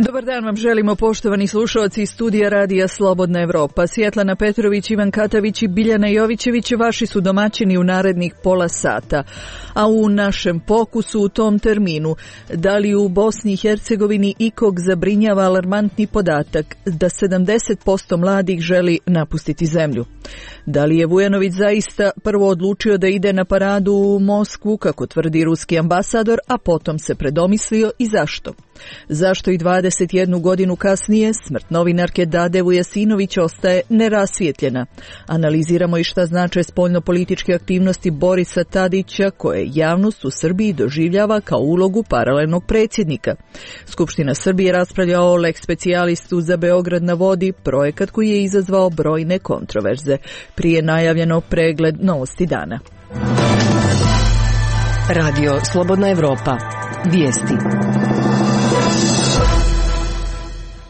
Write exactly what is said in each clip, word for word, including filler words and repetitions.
Dobar dan vam želimo, poštovani slušalci iz studija Radija Slobodna Evropa. Svjetlana Petrović, Ivan Katavić i Biljana Jovićević vaši su domaćini u narednih pola sata. A u našem pokusu u tom terminu, da li u Bosni i Hercegovini ikog zabrinjava alarmantni podatak da sedamdeset posto mladih želi napustiti zemlju? Da li je Vujanović zaista prvo odlučio da ide na paradu u Moskvu, kako tvrdi ruski ambasador, a potom se predomislio i zašto? Zašto i dvadeset jednu godinu kasnije smrt novinarke Dade Vujasinović ostaje nerasvijetljena? Analiziramo i šta znače spoljnopolitičke aktivnosti Borisa Tadića, koje javnost u Srbiji doživljava kao ulogu paralelnog predsjednika. Skupština Srbije raspravlja o lex specijalistu za Beograd na vodi, projekat koji je izazvao brojne kontroverze. Prije najavljeno pregled novosti dana. Radio Slobodna Evropa. Vijesti.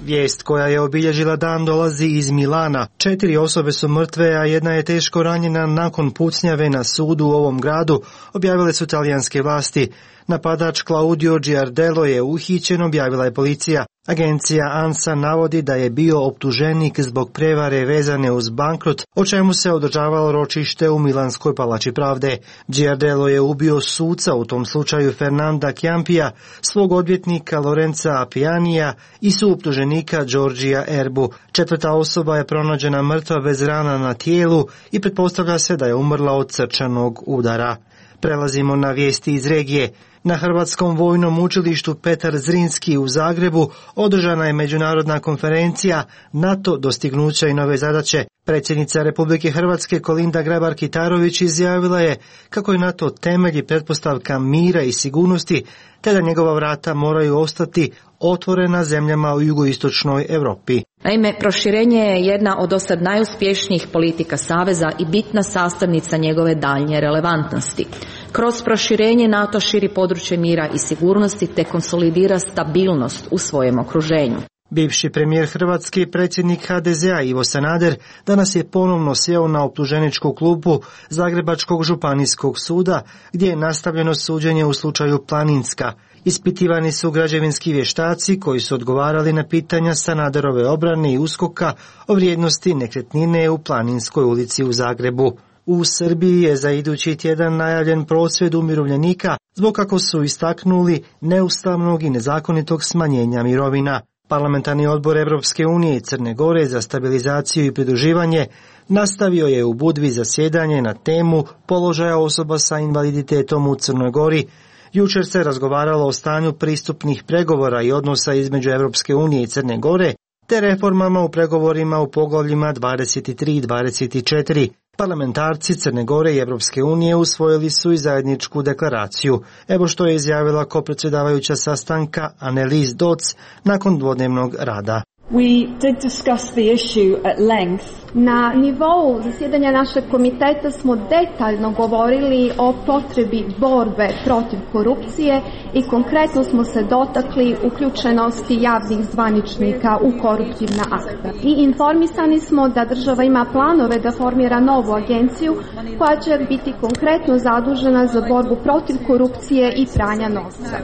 Vijest koja je obilježila dan dolazi iz Milana. Četiri osobe su mrtve, a jedna je teško ranjena nakon pucnjave na sudu u ovom gradu, objavile su talijanske vlasti. Napadač Claudio Giardello je uhićen, objavila je policija. Agencija ANSA navodi da je bio optuženik zbog prevare vezane uz bankrot, o čemu se održavalo ročište u Milanskoj palači pravde. Giardello je ubio suca, u tom slučaju Fernanda Chiampija, svog odvjetnika Lorenza Appianija i suoptuženika Giorgia Erbu. Četvrta osoba je pronađena mrtva bez rana na tijelu i pretpostavlja se da je umrla od srčanog udara. Prelazimo na vijesti iz regije. Na Hrvatskom vojnom učilištu Petar Zrinski u Zagrebu održana je međunarodna konferencija NATO dostignuća i nove zadaće. Predsjednica Republike Hrvatske Kolinda Grabar-Kitarović izjavila je kako je NATO temelj i pretpostavka mira i sigurnosti, te da njegova vrata moraju ostati otvorena zemljama u jugoistočnoj Europi. Naime, proširenje je jedna od dosad najuspješnijih politika Saveza i bitna sastavnica njegove daljnje relevantnosti. Kroz proširenje NATO širi područje mira i sigurnosti te konsolidira stabilnost u svojem okruženju. Bivši premijer Hrvatske i predsjednik H D Z A Ivo Sanader danas je ponovno sjeo na optuženičku klupu Zagrebačkog županijskog suda, gdje je nastavljeno suđenje u slučaju Planinska. Ispitivani su građevinski vještaci koji su odgovarali na pitanja Sanaderove obrane i uskoka o vrijednosti nekretnine u Planinskoj ulici u Zagrebu. U Srbiji je za idući tjedan najavljen prosvjed umirovljenika zbog, kako su istaknuli, neustavnog i nezakonitog smanjenja mirovina. Parlamentarni odbor Europske unije i Crne Gore za stabilizaciju i pridruživanje nastavio je u Budvi zasjedanje na temu položaja osoba sa invaliditetom u Crnoj Gori. Jučer se razgovaralo o stanju pristupnih pregovora i odnosa između Europske unije i Crne Gore, te reformama u pregovorima u poglavljima dvadeset tri i dvadeset četiri. Parlamentarci Crne Gore i Europske unije usvojili su i zajedničku deklaraciju. Evo što je izjavila kopredsjedavajuća sastanka Annelies Dodds nakon dvodnevnog rada. We did discuss the issue at length. Na nivou zasjedanja našeg komiteta smo detaljno govorili o potrebi borbe protiv korupcije i konkretno smo se dotakli uključenosti javnih zvaničnika u koruptivna akta. I informisani smo da država ima planove da formira novu agenciju koja će biti konkretno zadužena za borbu protiv korupcije i pranja novca.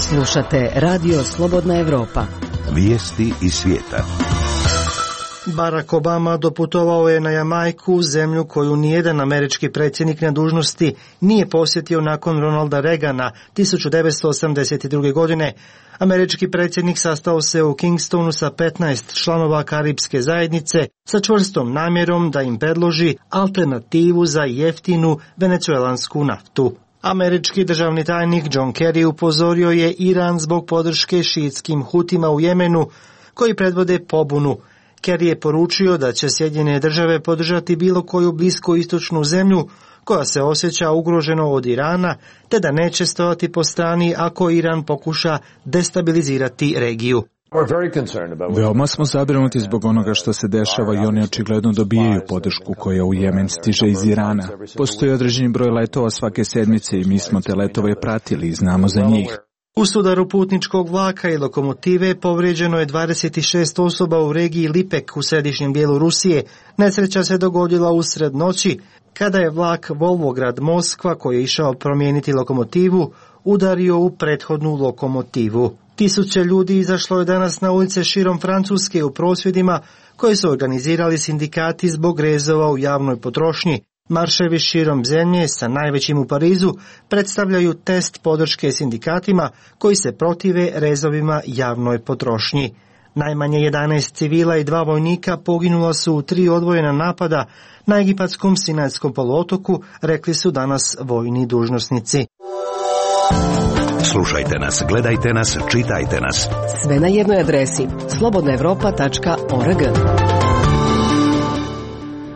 Slušate Radio Slobodna Evropa. Vijesti iz svijeta. Barack Obama doputovao je na Jamajku, zemlju koju nijedan američki predsjednik na dužnosti nije posjetio nakon Ronalda Reagana tisuću devetsto osamdeset druge. godine. Američki predsjednik sastao se u Kingstonu sa petnaest članova Karipske zajednice sa čvrstom namjerom da im predloži alternativu za jeftinu venecuelansku naftu. Američki državni tajnik John Kerry upozorio je Iran zbog podrške šiitskim Hutima u Jemenu, koji predvode pobunu. Kerry je poručio da će Sjedinjene države podržati bilo koju bliskoistočnu zemlju koja se osjeća ugroženo od Irana, te da neće stojati po strani ako Iran pokuša destabilizirati regiju. Veoma smo zabrinuti zbog onoga što se dešava i oni očigledno dobijaju podršku koja u Jemen stiže iz Irana. Postoji određeni broj letova svake sedmice i mi smo te letove pratili i znamo za njih. U sudaru putničkog vlaka i lokomotive povrijeđeno je dvadeset šest osoba u regiji Lipek u središnjem dijelu Rusije. Nesreća se dogodila usred noći kada je vlak Volvograd Moskva, koji je išao promijeniti lokomotivu, udario u prethodnu lokomotivu. Tisuće ljudi izašlo je danas na ulice širom Francuske u prosvjedima koje su organizirali sindikati zbog rezova u javnoj potrošnji. Marševi širom zemlje, sa najvećim u Parizu, predstavljaju test podrške sindikatima koji se protive rezovima javnoj potrošnji. Najmanje jedanaest civila i dva vojnika poginula su u tri odvojena napada na egipatskom Sinajskom poluotoku, rekli su danas vojni dužnosnici. Slušajte nas, gledajte nas, čitajte nas. Sve na jednoj adresi slobodna evropa tačka org.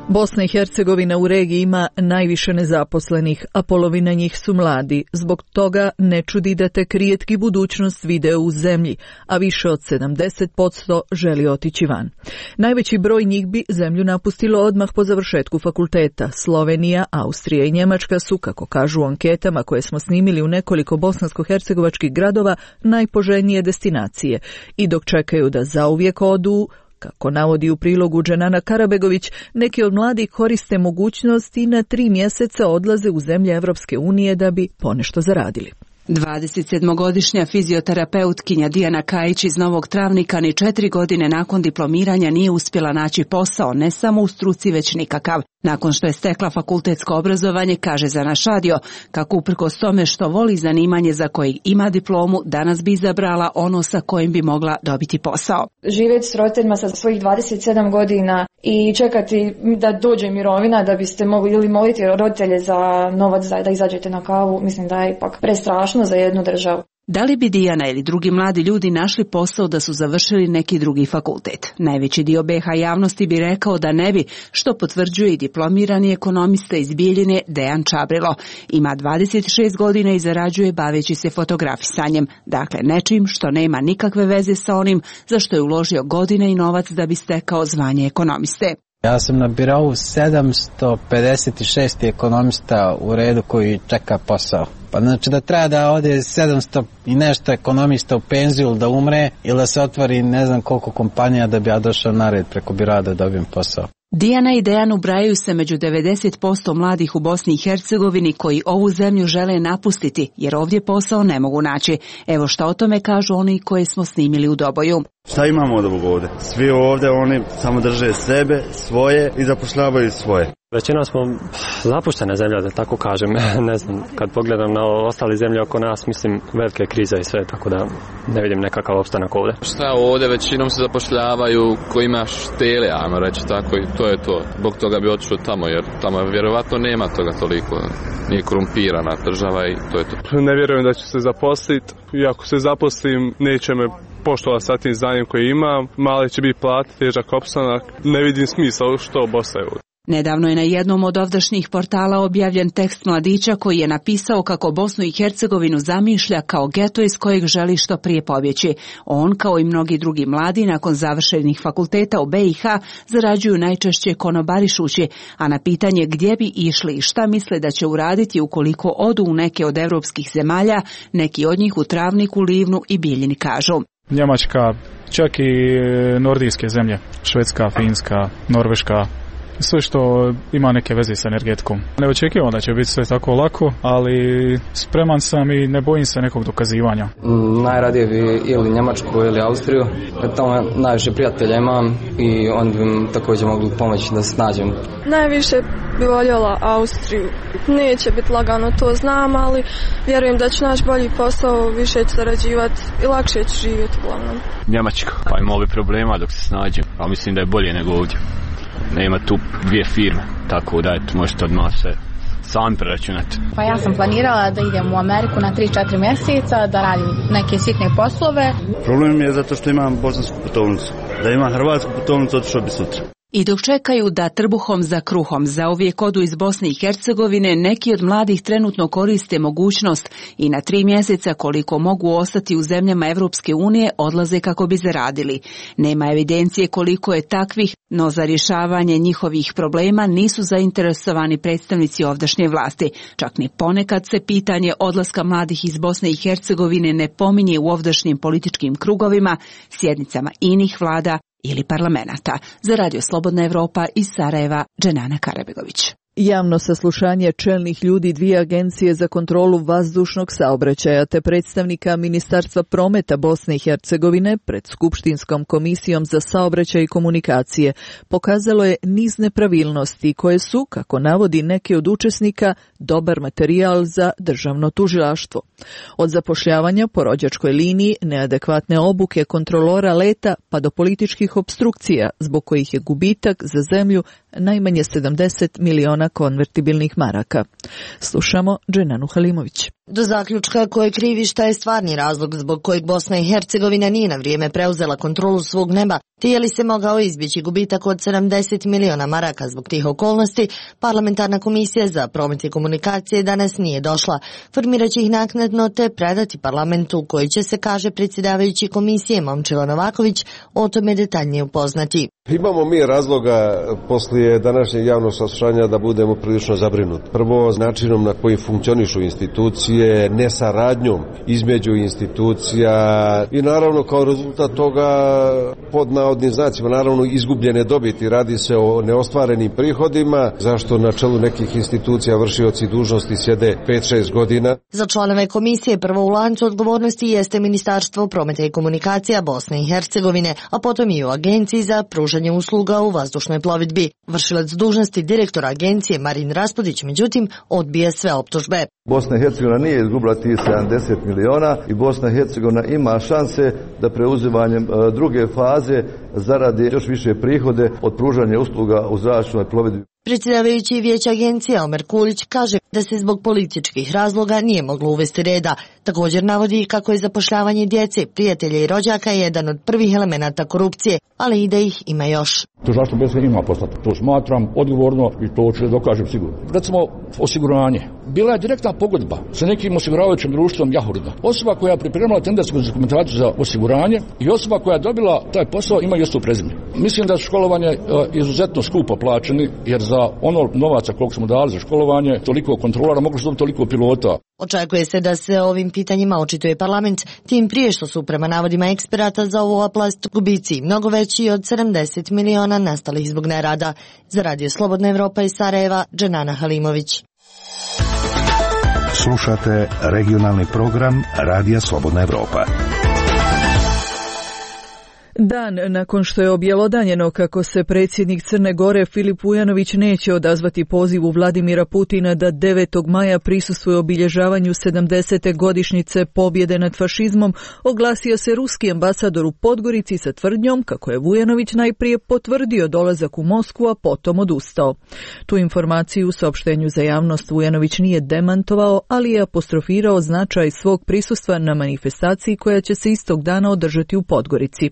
Bosna i Hercegovina u regiji ima najviše nezaposlenih, a polovina njih su mladi. Zbog toga ne čudi da tek rijetki budućnost vide u zemlji, a više od sedamdeset posto želi otići van. Najveći broj njih bi zemlju napustilo odmah po završetku fakulteta. Slovenija, Austrija i Njemačka su, kako kažu u anketama koje smo snimili u nekoliko bosansko-hercegovačkih gradova, najpoželjnije destinacije. I dok čekaju da zauvijek odu, kako navodi u prilogu Dženana Karabegović, neki od mladih koriste mogućnost i na tri mjeseca odlaze u zemlje Evropske unije da bi ponešto zaradili. dvadesetsedmogodišnja fizioterapeutkinja Dijana Kajić iz Novog Travnika ni četiri godine nakon diplomiranja nije uspjela naći posao, ne samo u struci već nikakav. Nakon što je stekla fakultetsko obrazovanje, kaže za naš radio, kako uprkos tome što voli zanimanje za kojeg ima diplomu, danas bi izabrala ono sa kojim bi mogla dobiti posao. Živjeti s roditeljima sa svojih dvadeset sedam godina i čekati da dođe mirovina da biste mogli ili moliti roditelje za novac da izađete na kavu, mislim da je ipak prestrašno za jednu državu. Da li bi Dijana ili drugi mladi ljudi našli posao da su završili neki drugi fakultet? Najveći dio be ha javnosti bi rekao da ne bi, što potvrđuje i diplomirani ekonomista iz Bijeljine Dejan Čabrilo. Ima dvadeset šest godina i zarađuje baveći se fotografisanjem, dakle nečim što nema nikakve veze sa onim za što je uložio godine i novac da bi stekao zvanje ekonomiste. Ja sam na birou sedamsto pedeset šest ekonomista u redu koji čeka posao. Pa znači da treba da ode sedamsto i nešto ekonomista u penziju da umre ili da se otvori ne znam koliko kompanija da bi ja došao na red preko biroa da dobijem posao. Dijana i Dejan ubrajaju se među devedeset posto mladih u Bosni i Hercegovini koji ovu zemlju žele napustiti jer ovdje posao ne mogu naći. Evo šta o tome kažu oni koje smo snimili u Doboju. Šta imamo od ovog ovdje? Svi ovdje oni samo drže sebe, svoje i zapošljavaju svoje. Većina smo zapuštene zemlja, da tako kažem. Ne znam, kad pogledam na ostale zemlje oko nas, mislim velike krize i sve, tako da ne vidim nekakav opstanak ovdje. Šta ovdje, većinom se zapošljavaju ko ima štele, ajmo reći tako, i to je to. Zbog toga bi otišao tamo, jer tamo vjerovatno nema toga toliko. Nije korumpirana država i to je to. Ne vjerujem da ću se zaposliti, i ako se zaposlim neće me poštovati sa tim znanjem koje imam, mali će biti plat, težak opstanak, ne vidim smisla što Bosna je ovdje. Nedavno je na jednom od ovdašnjih portala objavljen tekst mladića koji je napisao kako Bosnu i Hercegovinu zamišlja kao geto iz kojeg želi što prije pobjeći. On, kao i mnogi drugi mladi, nakon završenih fakulteta u be i ha, zarađuju najčešće konobarišući, a na pitanje gdje bi išli i šta misle da će uraditi ukoliko odu u neke od evropskih zemalja, neki od njih u Travniku, Livnu i Bijeljini kažu. Njemačka, čak i nordijske zemlje, Švedska, Finska, Norveška, sve što ima neke veze s energetikom. Ne očekivam da će biti sve tako lako, ali spreman sam i ne bojim se nekog dokazivanja. Mm, najradije bi ili Njemačku ili Austriju, jer tamo najviše prijatelja imam i oni bi mi također mogli pomoći da se snađem. Najviše bi voljela Austriju. Neće biti lagano, to znam, ali vjerujem da ću naći bolji posao, više ću zarađivati i lakše ću živjeti uglavnom. Njemačka, pa ima ovi problema dok se snađem, a mislim da je bolje nego ovdje. Nema tu dvije firme, tako da eto, možete odmah sve sami preračunati. Pa ja sam planirala da idem u Ameriku na tri četiri mjeseca, da radim neke sitne poslove. Problem je zato što imam bosansku putovnicu. Da imam hrvatsku putovnicu, otišao bi sutra. I dok čekaju da trbuhom za kruhom zauvijek odu iz Bosne i Hercegovine, neki od mladih trenutno koriste mogućnost i na tri mjeseca koliko mogu ostati u zemljama Evropske unije odlaze kako bi zaradili. Nema evidencije koliko je takvih, no za rješavanje njihovih problema nisu zainteresovani predstavnici ovdašnje vlasti. Čak ni ponekad se pitanje odlaska mladih iz Bosne i Hercegovine ne pominje u ovdašnjim političkim krugovima, sjednicama inih vlada ili parlamenata. Za Radio Slobodna Evropa iz Sarajeva, Dženana Karabegović. Javno saslušanje čelnih ljudi dvije agencije za kontrolu vazdušnog saobraćaja te predstavnika Ministarstva prometa Bosne i Hercegovine pred Skupštinskom komisijom za saobraćaj i komunikacije pokazalo je niz nepravilnosti koje su, kako navodi neki od učesnika, dobar materijal za državno tužilaštvo. Od zapošljavanja po rođačkoj liniji, neadekvatne obuke kontrolora leta pa do političkih opstrukcija zbog kojih je gubitak za zemlju najmanje sedamdeset miliona konvertibilnih maraka. Slušamo Dženanu Halimović. Do zaključka ko je krivi šta je stvarni razlog zbog kojeg Bosna i Hercegovina nije na vrijeme preuzela kontrolu svog neba, te je li se mogao izbjeći gubitak od sedamdeset miliona maraka zbog tih okolnosti, parlamentarna komisija za promet i komunikacije danas nije došla. Formirat će ih naknadno te predati parlamentu koji će se, kaže predsjedavajući komisije Momčilo Novaković, o tome detaljnije upoznati. Imamo mi razloga poslije današnjeg javnog saslušanja da budemo prilično zabrinuti. Prvo, načinom na koji funkcionišu institucije, nesaradnjom između institucija i naravno kao rezultat toga pod navodnim znacima naravno izgubljene dobiti. Radi se o neostvarenim prihodima, zašto na čelu nekih institucija vršioci dužnosti sjede pet šest godina. Za članove komisije prvo u lancu odgovornosti jeste Ministarstvo prometa i komunikacija Bosne i Hercegovine, a potom i u Agenciji za pružanje usluga u vazdušnoj plovidbi. Vršilac dužnosti direktora agencije Marin Raspodić, međutim, odbija sve optužbe. Bosna i Hercegovina nije izgubila tih sedamdeset miliona i Bosna i Hercegovina ima šanse da preuzimanjem druge faze zaradi još više prihode od pružanja usluga u zračnoj plovidbi. Predsjedavajući vijeća agencije Omer Kulić kaže da se zbog političkih razloga nije moglo uvesti reda. Također navodi kako je zapošljavanje djece, prijatelja i rođaka jedan od prvih elemenata korupcije, ali i da ih ima još. Tužilaštvo bez ima poslati. To smatram odgovorno i to ću dokažem sigurno. Recimo osiguranje. Bila je direktna pogodba sa nekim osiguravajućim društvom Jahurda. Osoba koja je pripremala tendersku dokumentaciju za osiguranje i osoba koja je dobila taj posao ima isto prezime. Mislim da su školovanje izuzetno skupo plaćeni, jer za ono novaca koliko smo dali za školovanje, toliko kontrolora, moglo se dobiti toliko pilota. Očekuje se da se ovim pitanjima očituje parlament, tim prije što su prema navodima eksperata za ovu oblast gubici mnogo veći od sedamdeset miliona nastalih zbog nerada. Za Radio Slobodna Evropa iz Sarajeva, Dženana Halimović. Slušate regionalni program Radija Slobodna Evropa. Dan nakon što je objelodanjeno kako se predsjednik Crne Gore Filip Vujanović neće odazvati pozivu Vladimira Putina da devetog maja prisustvuje obilježavanju sedamdesete godišnjice pobjede nad fašizmom, oglasio se ruski ambasador u Podgorici sa tvrdnjom kako je Vujanović najprije potvrdio dolazak u Moskvu, a potom odustao. Tu informaciju u saopštenju za javnost Vujanović nije demantovao, ali je apostrofirao značaj svog prisustva na manifestaciji koja će se istog dana održati u Podgorici.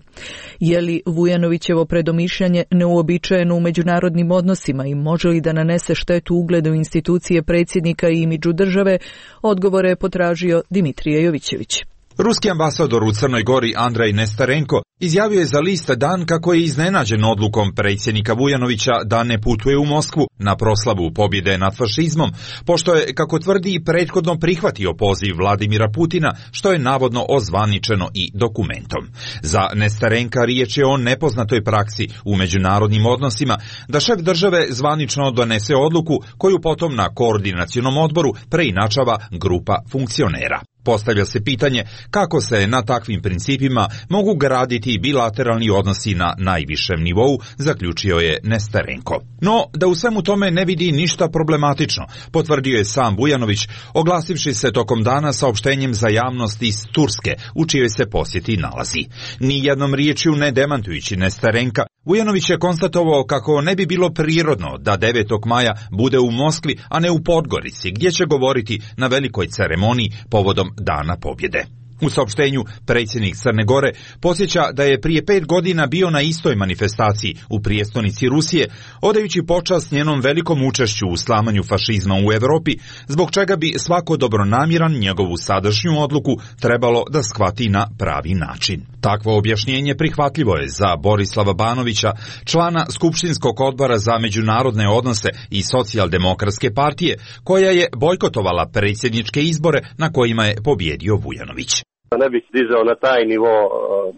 Je li Vujanovićevo predomišljanje neuobičajeno u međunarodnim odnosima i može li da nanese štetu ugledu institucije predsjednika i imidžu države? Odgovore je potražio Dimitrije Jovićević. Ruski ambasador u Crnoj Gori Andrej Nestarenko izjavio je za list Dan kako je iznenađen odlukom predsjednika Vujanovića da ne putuje u Moskvu na proslavu pobjede nad fašizmom, pošto je, kako tvrdi, prethodno prihvatio poziv Vladimira Putina, što je navodno ozvaničeno i dokumentom. Za Nestarenka riječ je o nepoznatoj praksi u međunarodnim odnosima da šef države zvanično donese odluku koju potom na koordinacionom odboru preinačava grupa funkcionera. Postavlja se pitanje kako se na takvim principima mogu graditi bilateralni odnosi na najvišem nivou, zaključio je Nestarenko. No, da u svemu tome ne vidi ništa problematično, potvrdio je sam Vujanović, oglasivši se tokom dana saopštenjem za javnost iz Turske, u čijoj se posjeti nalazi. Ni jednom riječju ne demantujući Nestarenka, Vujanović je konstatovao kako ne bi bilo prirodno da devetog maja bude u Moskvi, a ne u Podgorici, gdje će govoriti na velikoj ceremoniji povodom Dana pobjede. U saopštenju predsjednik Crne Gore podsjeća da je prije pet godina bio na istoj manifestaciji u prijestolnici Rusije, odajući počast njenom velikom učešću u slamanju fašizma u Europi, zbog čega bi svako dobronamjeran njegovu sadašnju odluku trebalo da shvati na pravi način. Takvo objašnjenje prihvatljivo je za Borislava Banovića, člana Skupštinskog odbora za međunarodne odnose i Socijaldemokratske partije, koja je bojkotovala predsjedničke izbore na kojima je pobjedio Vujanović. Ne bih dizao na taj nivo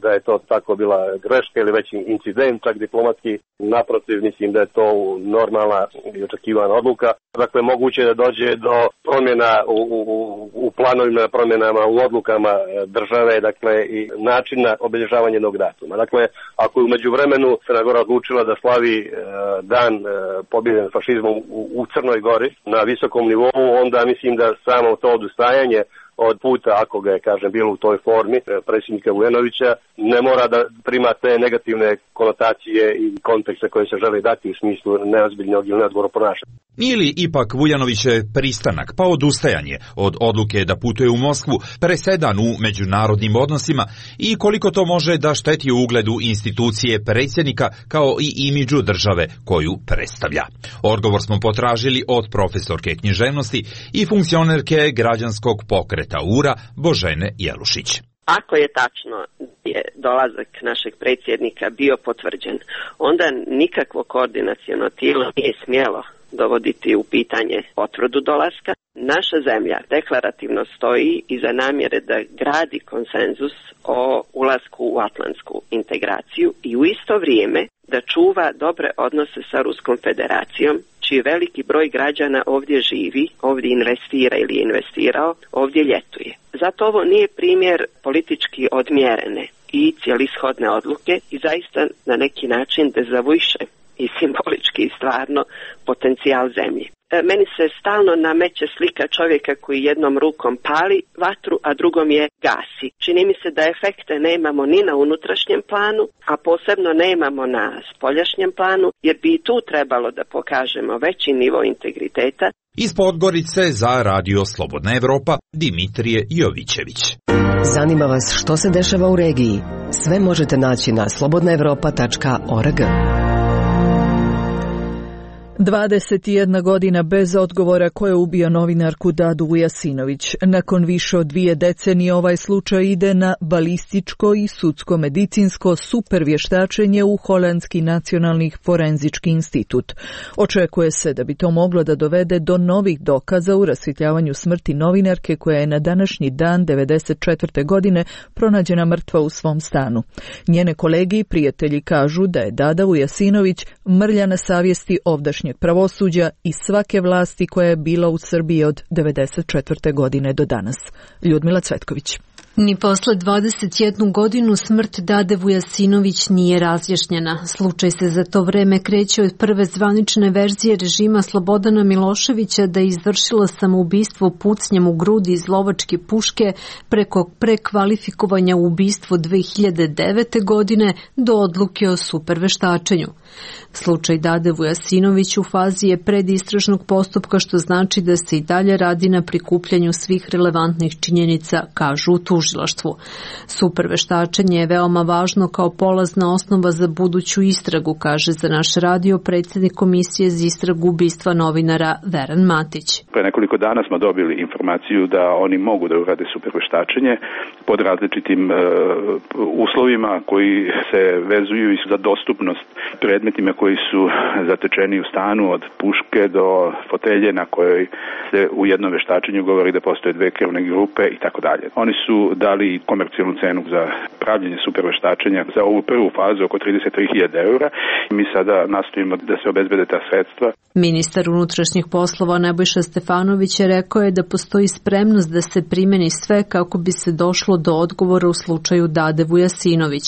da je to tako bila greška ili veći incident, čak diplomatski. Naprotiv, mislim da je to normalna i očekivana odluka. Dakle, moguće je da dođe do promjena u, u, u planovima, promjenama u odlukama države, dakle, i načina obilježavanja jednog datuma. Dakle, ako je u međuvremenu Crna Gora odlučila da slavi e, dan e, pobjede nad fašizmom u, u Crnoj Gori na visokom nivou, onda mislim da samo to odustajanje od puta, ako ga je, kažem, bilo u toj formi predsjednika Vujanovića, ne mora da prima te negativne konotacije i kontekste koje se žele dati u smislu neozbiljnog ili neodgovornog ponašanja. Nije li ipak Vujanovićev pristanak pa odustajanje od odluke da putuje u Moskvu presedan u međunarodnim odnosima i koliko to može da šteti u ugledu institucije predsjednika kao i imidžu države koju predstavlja? Odgovor smo potražili od profesorke književnosti i funkcionerke građanskog pokreta U R A Božene Jelušić. Ako je tačno je dolazak našeg predsjednika bio potvrđen, onda nikakvo koordinaciono tijelo nije smjelo dovoditi u pitanje potvrdu dolaska. Naša zemlja deklarativno stoji iza namjere da gradi konsenzus o ulasku u atlantsku integraciju i u isto vrijeme da čuva dobre odnose sa Ruskom federacijom, čiji veliki broj građana ovdje živi, ovdje investira ili je investirao, ovdje ljetuje. Zato ovo nije primjer politički odmjerene i cijelishodne odluke i zaista na neki način dezavuiše i simbolički i stvarno potencijal zemlje. Meni se stalno nameće slika čovjeka koji jednom rukom pali vatru, a drugom je gasi. Čini mi se da efekte nemamo ni na unutrašnjem planu, a posebno nemamo na spoljašnjem planu, jer bi i tu trebalo da pokažemo veći nivo integriteta. Iz Podgorice za Radio Slobodna Evropa, Dimitrije Jovićević. Zanima vas što se dešava u regiji? Sve možete naći na slobodna evropa tačka org. dvadeset jedna godina bez odgovora ko je ubio novinarku Dadu Vujasinović. Nakon više od dvije decenije ovaj slučaj ide na balističko i sudsko-medicinsko supervještačenje u Holandski nacionalni forenzički institut. Očekuje se da bi to moglo da dovede do novih dokaza u rasvjetljavanju smrti novinarke koja je na današnji dan devedeset četvrte godine pronađena mrtva u svom stanu. Njene kolege i prijatelji kažu da je Dada Vujasinović mrlja na savjesti ovdašnje pravosuđa i svake vlasti koja je bila u Srbiji od devedeset četvrte godine do danas. Ljudmila Cvetković. Ni posle dvadeset jednu godinu smrt Dade Vujasinović nije razjašnjena. Slučaj se za to vreme kreće od prve zvanične verzije režima Slobodana Miloševića da je izvršila samoubistvo pucnjem u grudi iz lovačke puške preko prekvalifikovanja u ubistvo dve hiljade devete. godine do odluke o superveštačenju. Slučaj Dade Vujasinović u fazi je predistražnog postupka, što znači da se i dalje radi na prikupljanju svih relevantnih činjenica, kažu u tužilaštvu. Superveštačenje je veoma važno kao polazna osnova za buduću istragu, kaže za naš radio predsjednik Komisije za istragu ubistva novinara Veran Matić. Pre nekoliko dana smo dobili informaciju da oni mogu da urade superveštačenje pod različitim e, uslovima koji se vezuju i za dostupnost predmetima koji su zatečeni u stanu, od puške do fotelje na kojoj se u jednom veštačenju govori da postoje dve krvne grupe i tako dalje. Oni su dali komercijalnu cenu za pravljenje superveštačenja za ovu prvu fazu oko trideset tri hiljade eura i mi sada nastojimo da se obezbede ta sredstva. Ministar unutrašnjih poslova Nebojša Stefanović je rekao je da postoji spremnost da se primeni sve kako bi se došlo do odgovora u slučaju Dade Vujasinović.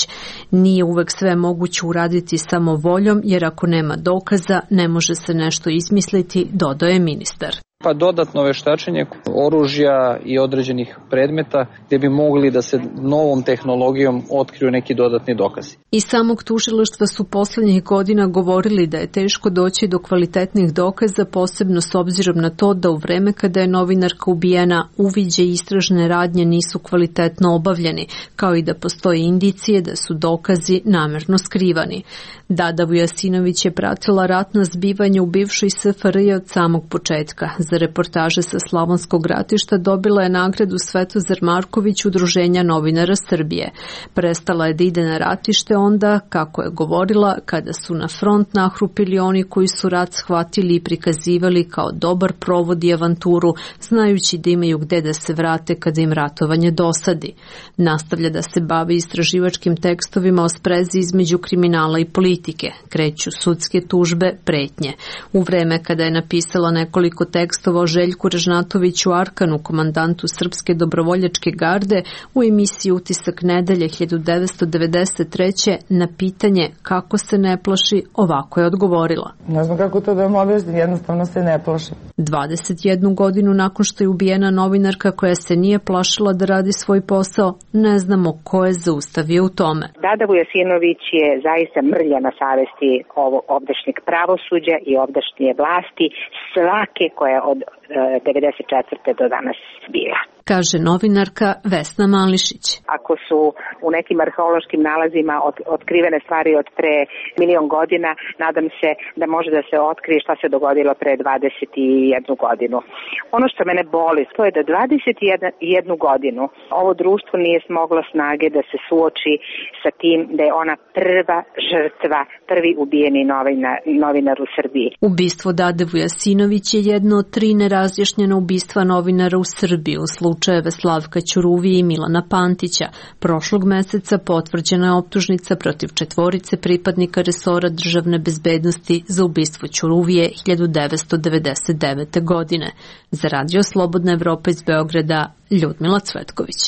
Nije uvek sve moguće uraditi samo voljom, jer ako nema dokaza, ne može se nešto izmisliti, dodaje ministar. Pa dodatno veštačenje oružja i određenih predmeta gdje bi mogli da se novom tehnologijom otkriju neki dodatni dokazi. Iz samog tužilaštva su poslednjih godina govorili da je teško doći do kvalitetnih dokaza, posebno s obzirom na to da u vreme kada je novinarka ubijena uviđe i istražne radnje nisu kvalitetno obavljeni, kao i da postoje indicije da su dokazi namerno skrivani. Dada Vujasinović je pratila ratna zbivanja u bivšoj S F R J od samog početka. Za za reportaže sa Slavonskog ratišta dobila je nagradu Svetozar Marković Udruženja novinara Srbije. Prestala je da ide na ratište onda, kako je govorila, kada su na front nahrupili oni koji su rat shvatili i prikazivali kao dobar provod i avanturu, znajući da imaju gde da se vrate kada im ratovanje dosadi. Nastavlja da se bavi istraživačkim tekstovima o sprezi između kriminala i politike. Kreću sudske tužbe, pretnje. U vreme kada je napisala nekoliko tekstova o Željku Ražnatoviću Arkanu, komandantu Srpske dobrovoljačke garde, u emisiji Utisak nedelje hiljadu devetsto devedeset treće na pitanje kako se ne plaši, ovako je odgovorila. Ne znam kako to da vam objasnim, jednostavno se ne plašim. dvadeset jednu godinu nakon što je ubijena novinarka koja se nije plašila da radi svoj posao, ne znamo ko je zaustavio u tome. Dada Vujasinović je zaista mrlja na savesti ovog ovdašnjeg pravosuđa i ovdašnje vlasti, svake koja je od devedeset četvrte do danas bila. Kaže novinarka Vesna Mališić. Ako su u nekim arheološkim nalazima od, otkrivene stvari od pre milion godina, nadam se da može da se otkrije šta se dogodilo pre dvadeset jednu godinu. Ono što mene boli, to je da dvadeset jednu godinu ovo društvo nije smoglo snage da se suoči sa tim da je ona prva žrtva, prvi ubijeni novinar, novinar u Srbiji. Ubistvo Dade Vujasinović je jedno od tri nerazjašnjena ubistva novinara u Srbiji u slučajeve Slavka Ćuruvije i Milana Pantića. Prošlog meseca potvrđena je optužnica protiv četvorice pripadnika resora državne bezbednosti za ubistvo Ćuruvije hiljadu devetsto devedeset devete. godine. Za Radio Slobodna Evropa iz Beograda, Ljudmila Cvetković.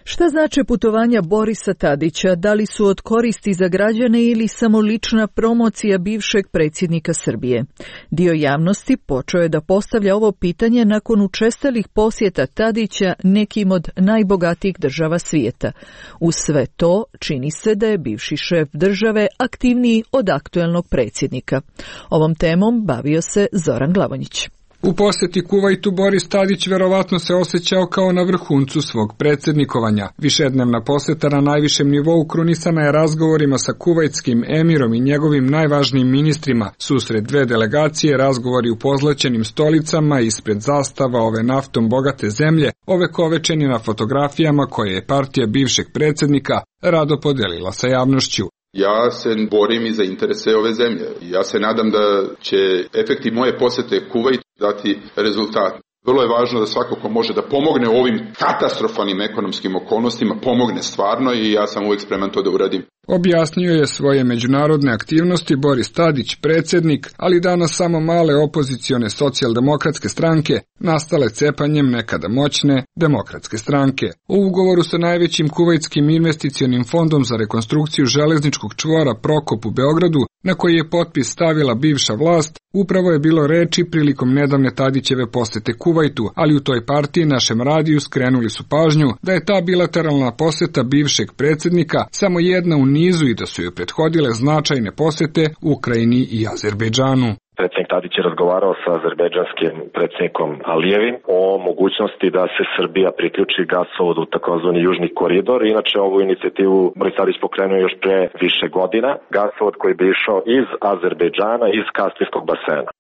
Šta znače putovanja Borisa Tadića? Da li su od koristi za građane ili samo lična promocija bivšeg predsjednika Srbije? Dio javnosti počeo je da postavlja ovo pitanje nakon učestalih posjeta Tadića nekim od najbogatijih država svijeta. Uz sve to, čini se da je bivši šef države aktivniji od aktuelnog predsjednika. Ovom temom bavio se Zoran Glavonjić. U posjeti Kuvajtu Boris Tadić verovatno se osjećao kao na vrhuncu svog predsjednikovanja. Višednevna posjeta na najvišem nivou krunisana je razgovorima sa kuvajtskim emirom i njegovim najvažnijim ministrima. Susret dve delegacije, razgovori u pozlaćenim stolicama ispred zastava ove naftom bogate zemlje, ovekovečeni na fotografijama koje je partija bivšeg predsjednika rado podelila sa javnošću. Ja se borim i za interese ove zemlje. Ja se nadam da će efekti moje posjete Kuvajtu dati rezultat. Vrlo je važno da svako ko može da pomogne u ovim katastrofalnim ekonomskim okolnostima, pomogne stvarno i ja sam uvijek spreman to da uradim. Objasnio je svoje međunarodne aktivnosti Boris Tadić, predsjednik, ali danas samo male opozicione socijaldemokratske stranke, nastale cepanjem nekada moćne demokratske stranke. U ugovoru sa najvećim kuvajtskim investicionim fondom za rekonstrukciju železničkog čvora Prokop u Beogradu, na koji je potpis stavila bivša vlast, upravo je bilo reči prilikom nedavne Tadićeve posjete Kuvajtu, ali u toj partiji našem radiju skrenuli su pažnju da je ta bilateralna posjeta bivšeg predsjednika samo jedna u nizu i da su joj prethodile značajne posjete Ukrajini i Azerbejdžanu. Predsjednik Tadić je razgovarao sa azerbejdžanskim predsjednikom Alijevim o mogućnosti da se Srbija priključi gasovodu u takozvani Južni koridor. Inače, ovu inicijativu Boris Tadić pokrenuo još pre više godina. Gasovod koji bi išao iz Azerbejdžana, iz Kaspijskog basena.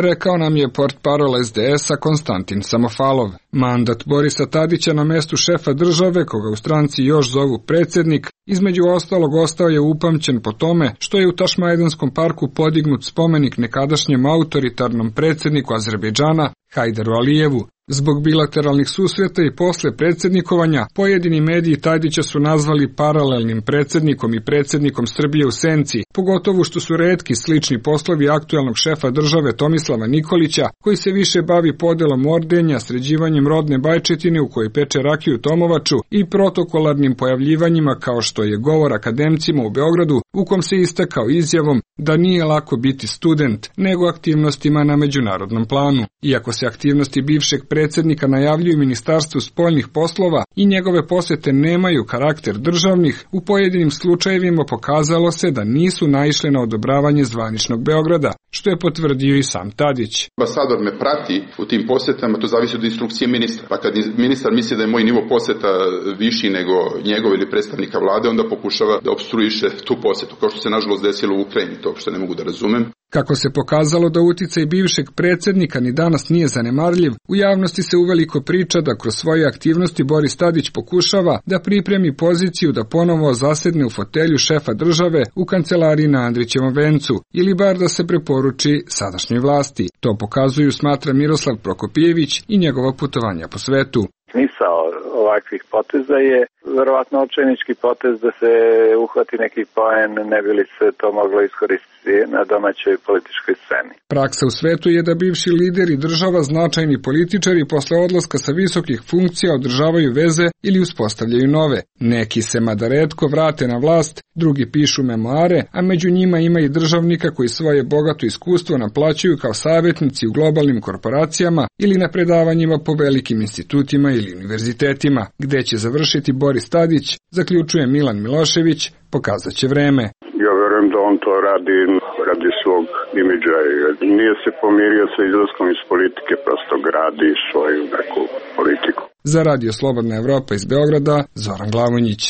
Rekao nam je portparol es de es a Konstantin Samofalov. Mandat Borisa Tadića na mestu šefa države, koga u stranci još zovu predsjednik, između ostalog ostao je upamćen po tome što je u Tašmajdanskom parku podignut spomenik nekadašnjem autoritarnom predsjedniku Azerbejdžana Hajderu Alijevu. Zbog bilateralnih susreta i posle predsjednikovanja, pojedini mediji Tadića su nazvali paralelnim predsjednikom i predsjednikom Srbije u senci, pogotovo što su retki slični poslovi aktuelnog šefa države Tomislava Nikolića, koji se više bavi podelom ordenja, sređivanjem rodne bajčetine u kojoj peče rakiju Tomovaču i protokolarnim pojavljivanjima kao što je govor akademcima u Beogradu, u kom se istakao izjavom da nije lako biti student, nego aktivnostima na međunarodnom planu. Iako se aktivnosti bivšeg predsjednika najavljuju Ministarstvu spoljnih poslova i njegove posjete nemaju karakter državnih, u pojedinim slučajevima pokazalo se da nisu naišle na odobravanje zvaničnog Beograda, što je potvrdio i sam Tadić. Ambasador me prati u tim posjetama, to zavisi od instrukcije ministra. Pa kad ministar misli da je moj nivo posjeta viši nego njegov ili predstavnika vlade, onda pokušava da opstruiše tu posjetu, kao što se nažalost desilo u Ukrajini, to što ne mogu da razumem. Kako se pokazalo da uticaj bivšeg predsjednika ni danas nije zanemarljiv, u javnosti se uveliko priča da kroz svoje aktivnosti Boris Tadić pokušava da pripremi poziciju da ponovo zasedne u fotelju šefa države u kancelariji na Andrićevom vencu, ili bar da se preporuči sadašnjoj vlasti. To pokazuju, smatra Miroslav Prokopijević i njegova putovanja po svetu. Smisao ovakvih poteza je verovatno očajnički potez da se uhvati neki poen, ne bi li se to moglo iskoristiti na domaćoj političkoj sceni. Praksa u svetu je da bivši lideri država, značajni političari posle odlaska sa visokih funkcija održavaju veze ili uspostavljaju nove. Neki se mada retko vrate na vlast, drugi pišu memoare, a među njima ima i državnika koji svoje bogato iskustvo naplaćuju kao savjetnici u globalnim korporacijama ili na predavanjima po velikim institutima ili univerzitetima. Gde će završiti Boris Tadić, zaključuje Milan Milošević, pokazat će vreme. Ja verujem da on to radi radi svog imidža. Nije se pomirio sa izlaskom iz politike, prosto gradi svoju neku politiku. Za Radio Slobodna Evropa iz Beograda, Zoran Glavonjić.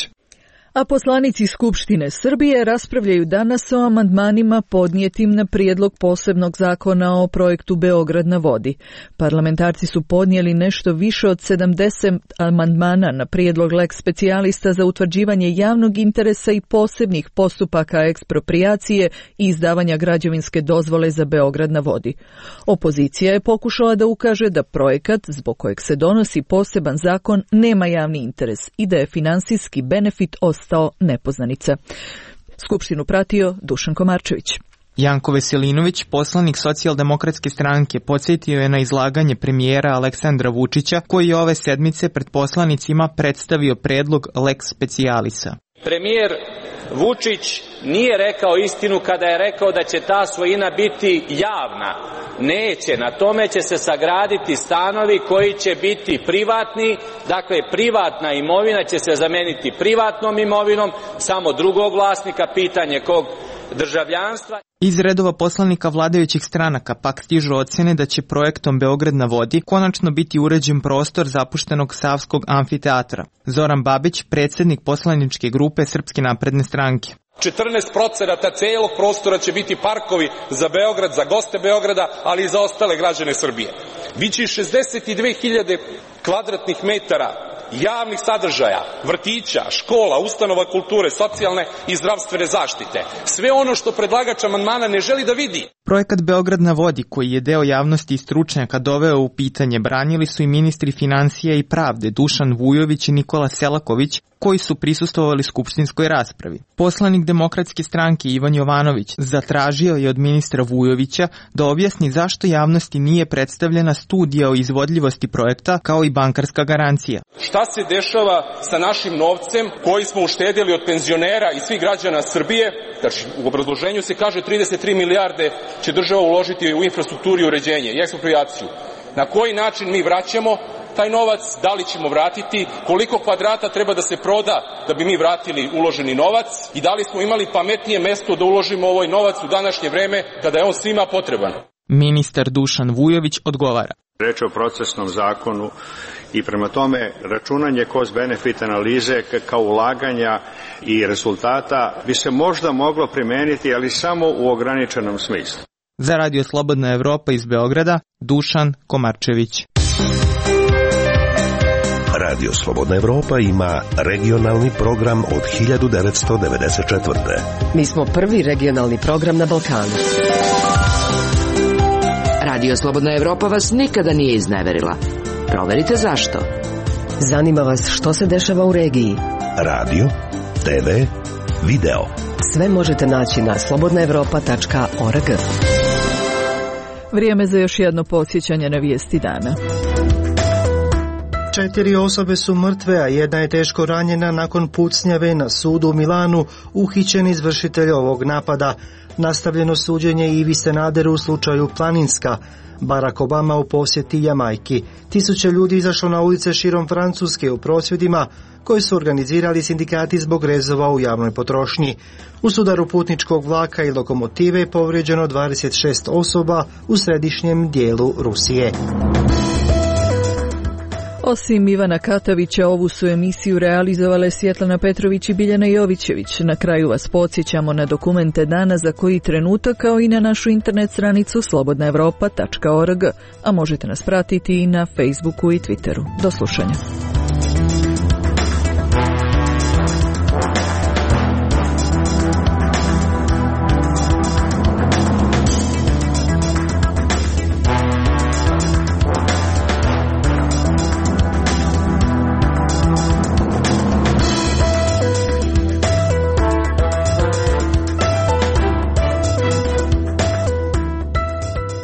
A poslanici Skupštine Srbije raspravljaju danas o amandmanima podnijetim na prijedlog posebnog zakona o projektu Beograd na vodi. Parlamentarci su podnijeli nešto više od sedamdeset amandmana na prijedlog lex specijalista za utvrđivanje javnog interesa i posebnih postupaka eksproprijacije i izdavanja građevinske dozvole za Beograd na vodi. Opozicija je pokušala da ukaže da projekat, zbog kojeg se donosi poseban zakon, nema javni interes i da je finansijski benefit ostao nepoznanica. Skupštinu pratio Dušan Komarčević. Janko Veselinović, poslanik Socijaldemokratske stranke, podsjetio je na izlaganje premijera Aleksandra Vučića, koji je ove sedmice pred poslanicima predstavio predlog lex specialisa. Premijer Vučić nije rekao istinu kada je rekao da će ta svojina biti javna. Neće, na tome će se sagraditi stanovi koji će biti privatni, dakle privatna imovina će se zameniti privatnom imovinom, samo drugog vlasnika, pitanje kog državljanstva. Iz redova poslanika vladajućih stranaka pak stižu ocjene da će projektom Beograd na vodi konačno biti uređen prostor zapuštenog Savskog amfiteatra. Zoran Babić, predsjednik poslaničke grupe Srpske napredne stranke. četrnaest procenata celog prostora će biti parkovi za Beograd, za goste Beograda, ali i za ostale građane Srbije. Biće šezdeset dve hiljade kvadratnih metara javnih sadržaja, vrtića, škola, ustanova kulture, socijalne i zdravstvene zaštite. Sve ono što predlagač amandmana ne želi da vidi. Projekat Beograd na vodi, koji je deo javnosti i stručnjaka doveo u pitanje, branili su i ministri financija i pravde Dušan Vujović i Nikola Selaković, koji su prisustvovali skupštinskoj raspravi. Poslanik Demokratske stranke Ivan Jovanović zatražio je od ministra Vujovića da objasni zašto javnosti nije predstavljena studija o izvodljivosti projekta kao i bankarska garancija. Šta se dešava sa našim novcem koji smo uštedjeli od penzionera i svih građana Srbije? Znači, u obrazloženju se kaže trideset tri milijarde će država uložiti u infrastrukturu i uređenje i eksproprijaciju. Na koji način mi vraćamo taj novac, da li ćemo vratiti, koliko kvadrata treba da se proda da bi mi vratili uloženi novac i da li smo imali pametnije mesto da uložimo ovaj novac u današnje vreme kada je on svima potreban. Ministar Dušan Vujović odgovara. Reč o procesnom zakonu i prema tome računanje cost-benefit analize kao ulaganja i rezultata bi se možda moglo primeniti, ali samo u ograničenom smislu. Za Radio Slobodna Evropa iz Beograda, Dušan Komarčević. Radio Slobodna Evropa ima regionalni program od hiljadu devetsto devedeset četvrte. Mi smo prvi regionalni program na Balkanu. Radio Slobodna Evropa vas nikada nije izneverila. Proverite zašto. Zanima vas što se dešava u regiji. Radio, te ve, video. Sve možete naći na slobodna evropa tačka org. Vrijeme za još jedno podsjećanje na vijesti dana. Četiri osobe su mrtve, a jedna je teško ranjena nakon pucnjave na sudu u Milanu, uhićen izvršitelj ovog napada. Nastavljeno suđenje Ivi Sanaderu u slučaju Planinska. Barack Obama u posjeti Jamajki. Tisuće ljudi izašlo na ulice širom Francuske u prosvjedima koji su organizirali sindikati zbog rezova u javnoj potrošnji. U sudaru putničkog vlaka i lokomotive je povrijeđeno dvadeset šest osoba u središnjem dijelu Rusije. Osim Ivana Katavića, ovu su emisiju realizovale Svjetlana Petrović i Biljana Jovićević. Na kraju vas podsjećamo na dokumente dana za koji trenutak, kao i na našu internet stranicu slobodna evropa tačka org, a možete nas pratiti i na Facebooku i Twitteru. Do slušanja.